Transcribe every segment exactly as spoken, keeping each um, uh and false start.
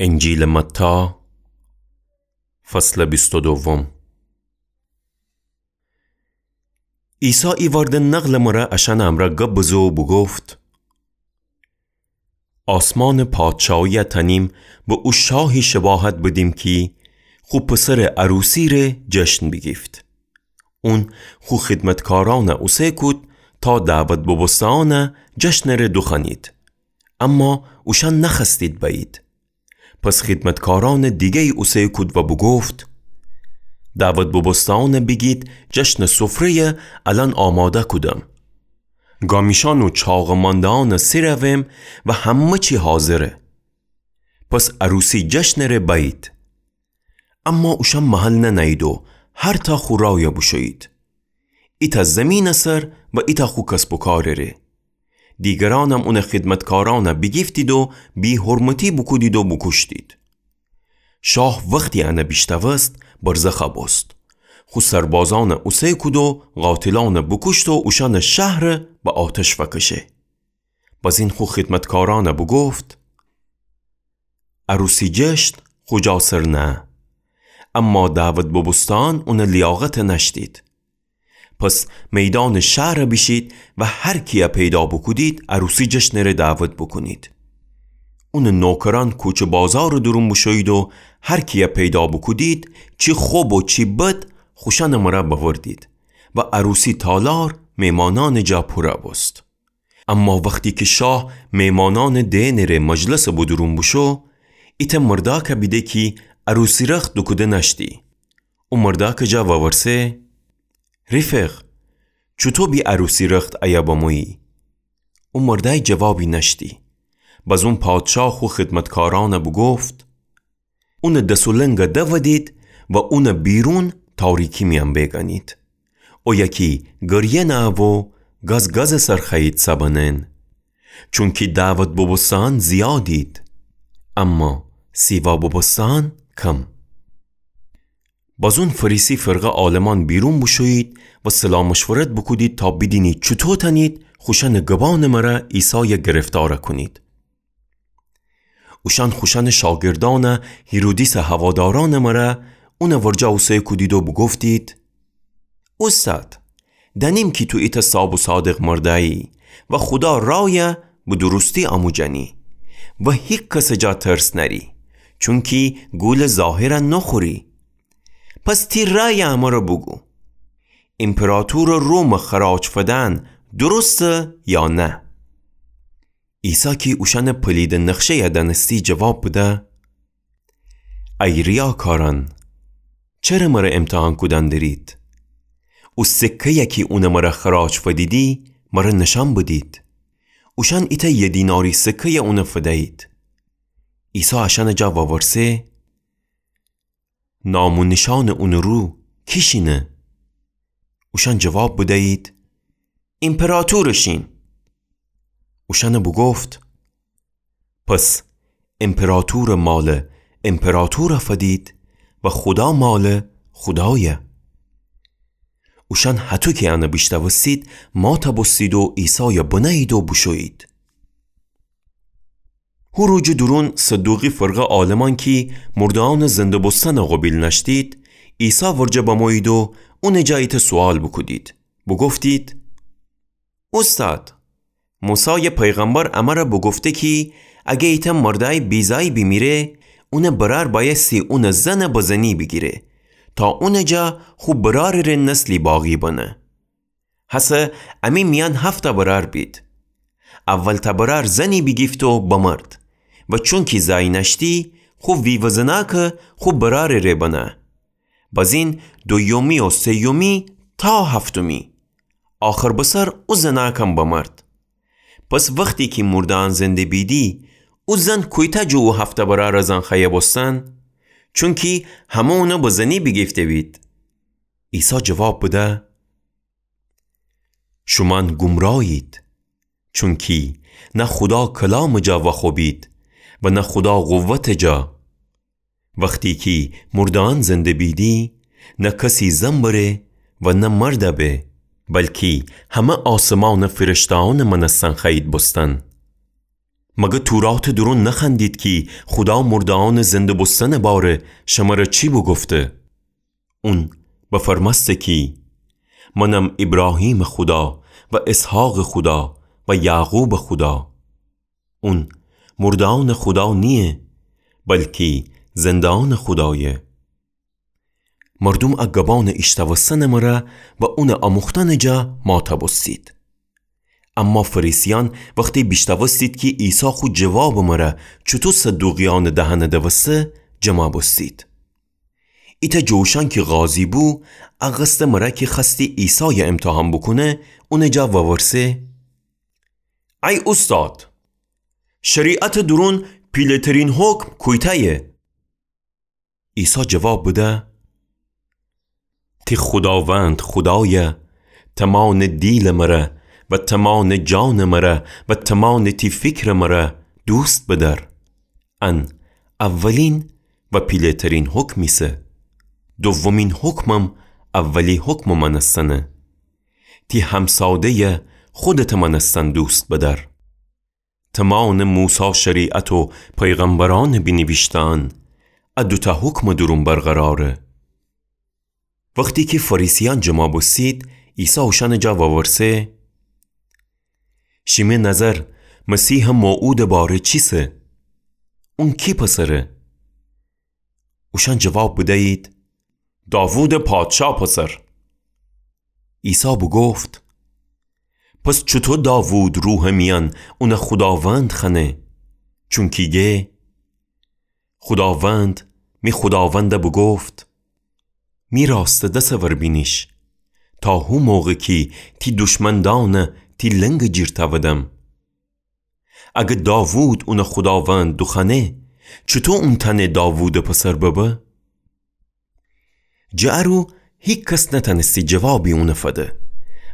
انجیلٚ متی، فصلٚ بیست و دوم. عیسی ایوأرده نقلٚ مره اشأنٚ امرأ گب بزه و بوگفت: آسمانٚ پادشاهی تأنیم به او شاهی شباهت بدیم کی خو پسرٚ عروسی ره جشن بیگیفت. اون خو خدمتکارأن اوسه کود تا دعوت ببوسته‌یأن جشنٚ ره دوخوأنید، اما اوشأن نخوأستید بأیید. پس خدمتکارأنٚ دیگه‌یی اوسه کود و بوگفت: دعوت ببوسته‌یأن بیگید جشنٚ سفره‌ی الأن آماده کودم. گامیشأن و چاقٚ مانده‌یأن سر اوم و همه چی حاضره. پس عروسی جشنٚ ره بأیید. اما اوشأن محل ننأیید و هر تا خو رأی بوشویید، ایتأ زیمینٚ سر و ایتأ خو کسب و کارٚ ره. دیگرأنم اونٚ خدمتکارأن بیگیفتید و بی‌حرمتی بوکودید و بوکوشتید. شاه وختی ان بیشتوست، برزخ بوست. خو سربازأن اوسه کود و قاتلأن بوکوشت و اوشأنٚ شهر به آتش فکشه. بزین خو خدمتکارأن بوگفت: عروسی جشن خو جا سر نه، اما دعوت ببوسته‌یأن اونٚ لیاقت نأشتید. پس میدانٚ شهر بیشید و هر کیی پیدا بوکودید، عروسی جشنٚ ره دعوت بوکونید. اونٚ نوکرأن کوچه بازارٚ دورون بوشویید و هر کیی پیدا بوکودید، چی خب و چی بد، خوشأنٚ مره بأوردید و عروسی تالار میمانأنٚ جا پور بوست. اما وختی کی شاه میمانأنٚ دئنٚ ره مجلسٚ بدورون بوشو، ایتأ مردأک بیده کی عروسی رخت دوکوده نأشتی. او مردأکٚ جا وورسه: رفیق، چوطو بی عروسی رخت ایه بمویی؟ او مردأی جوابی نأشتی. بزون پادشاه خو خدمتکارأن بوگفت: اونٚ دس و لنگ دودید و اون بیرون تاریکی میأن بیگنید. اویه کی گریه نأوو، گز گزٚ سر خوأیید سبنن. چونکی دعوت ببوسته‌یأن زیادید، اما سیوا ببوسته‌یأن کم. بزون فریسی فرقه عالمأن بیرون بوشویید و صلاح مشورت بوکودید تا بیدینید چوطو تأنید خوشأنٚ گبأنٚ مره عیسای گرفتار کونید. اوشأن خوشأنٚ شاگردأن هیرودیسٚ هوادارأنٚ مره اونٚ ورجه اوسه کودید و بوگفتید: اوستاد، دأنیم کی تو ایتأ صاب و صادق مردأیی و خودا رأی به درستی آموجنی و هیکسٚ جا ترس نأری، چونکی گولٚ ظاهر نوخوری. پس تی رأی امر بوگو، ایمپراطورٚ روم خراج فدن درسته یا نه؟ عیسی کی اوشأنٚ پلیدٚ نقشه‌ی دأنستی جواب بده: ای ریاکارأن، چره مره امتحان کودن درید؟ او سکه‌ی کی اونٚ مره خراج فدیدی، مره نشأن بدید. اوشأن ایتأ یه دیناری سکه‌ی اون فدیید. عیسی اشأنٚ جا وورسه: نام و نیشأنٚ اونٚ رو کی شینه؟ اوشأن جواب بدیید: ایمپراطورٚ شین. اوشأن بوگفت: پس ایمپراطورٚ مال ایمپراطور فدید و خودا مال خودای. اوشأن هطو کی ان بیشتوستید، مات بوستید و عیسای بنهیید و بوشویید. هو روجٚ دورون صدوقی فرقه عالمأن کی مرده‌یأنٚ زنده بوستن قوبیل نأشتید، عیسی ورجه بمویید و اونٚ جا ایتأ سوال بوکودید. بوگفتید: اوستاد، موسی پیغمبر امر بوگفته کی اگه ایتأ مردأی بیزأی بیمیره، اونٚ برأر بأیستی اونٚ زن به زنی بیگیره تا اونٚ جا خو برأرٚ ره نسلی باقی بنه. هسه امی میأن هفتأ برأر بید. اولتأ برأر زنی بیگیفت و بمرد و چونکی زأی نأشتی، خو ویوه زنأکٚ خو برأرٚ ره بنه. بزین دویومی و سیومی تا هفتمی. آخر بسر او زنأکم بمرد. پس وختی کی مرده‌یأن زنده بیدی، او زن کویتأ جٚه او هفتأ برأرٚ زن خوأیه بوستن؟ چونکی همه اون به زنی بیگیفته‌بید. عیسی جواب بده: شومأن گمرایید، چونکی نه خودا کلامٚ جا وأخوبید و نه خودا قوتٚ جا. وختی کی مرده‌یأن زنده بیدی، نه کسی زن بره و نه مرد به، بلکی همه آسمانٚ فرشته‌یأنٚ مأنستن خوأیید بوستن. مگه توراتٚ دورون نخوأندید کی خودا مرده‌یأنٚ زنده بوستنٚ باره شمره چی بوگفته؟ اون بفرمأسته کی، منم ایبراهیمٚ خودا و اسحاقٚ خودا و یعقوبٚ خودا. اون مرده‌یأنٚ خودا نییه، بلکی زنده‌یأنٚ خودایه. مردوم ا گبأنٚ ایشتوستنٚ مره و اونٚ اموختنٚ جا ماتا بوستید. اما فریسیأن وختی بیشتوستید کی عیسی خو جوابٚ مره چوطو صدوقیأنٚ دهنه دوسته، جمع بوستید. ایتأ جٚه اوشأن کی قاضی بو، ا قصدٚ مره کی خوأستی عیسای امتحان بوکونه، اونٚ جا وورسه: ای اوستاد، شریعتٚ دورون پیله‌ترین حکم کویتأیه؟ عیسی جواب بده: تی خوداوند خودایَ تومانٚ دیلٚ مره و تومانٚ جانٚ مره و تومانٚ تی فیکرٚ مره دوست بدأر. ان اولین و پیله‌ترین حکم ایسه. دومین حکمم اولی حکمٚ مأنستنه. تی همساده‌یَ خودتٚ مأنستن دوست بدأر. تومانٚ موسی شریعت و پیغمبرأنٚ بینیویشته‌یأن ا دوتأ حکمٚ دورون برقراره. وختی کی فریسیأن جمع بوستید، عیسی اوشأنٚ جا وورسه: شیمی نظر مسیحٚ موعودٚ باره چیسه؟ اون کی پسره؟ اوشأن جواب بدیید: داوودٚ پادشا پسر. عیسی بوگفت: پس چوطو داوود روحٚ میأن اونَ خوداوند خوأنه؟ چونکی گه: خوداوند می خوداوندَ بوگفت: می راستٚ دسٚ ور بینیش، تا هو موقع کی تی دشمندأنَ تی لنگٚ جیر تأودم. اگه داوود اونَ خوداوند دوخوأنه، چوطو اون تأنه داوودٚ پسر ببه؟ جٚه ارو هیکس نتأنستی جوابی اونَ فده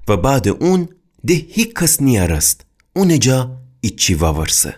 و بعدٚ اون ده هیکس نیأرست اونٚ جا ایچی وورسه.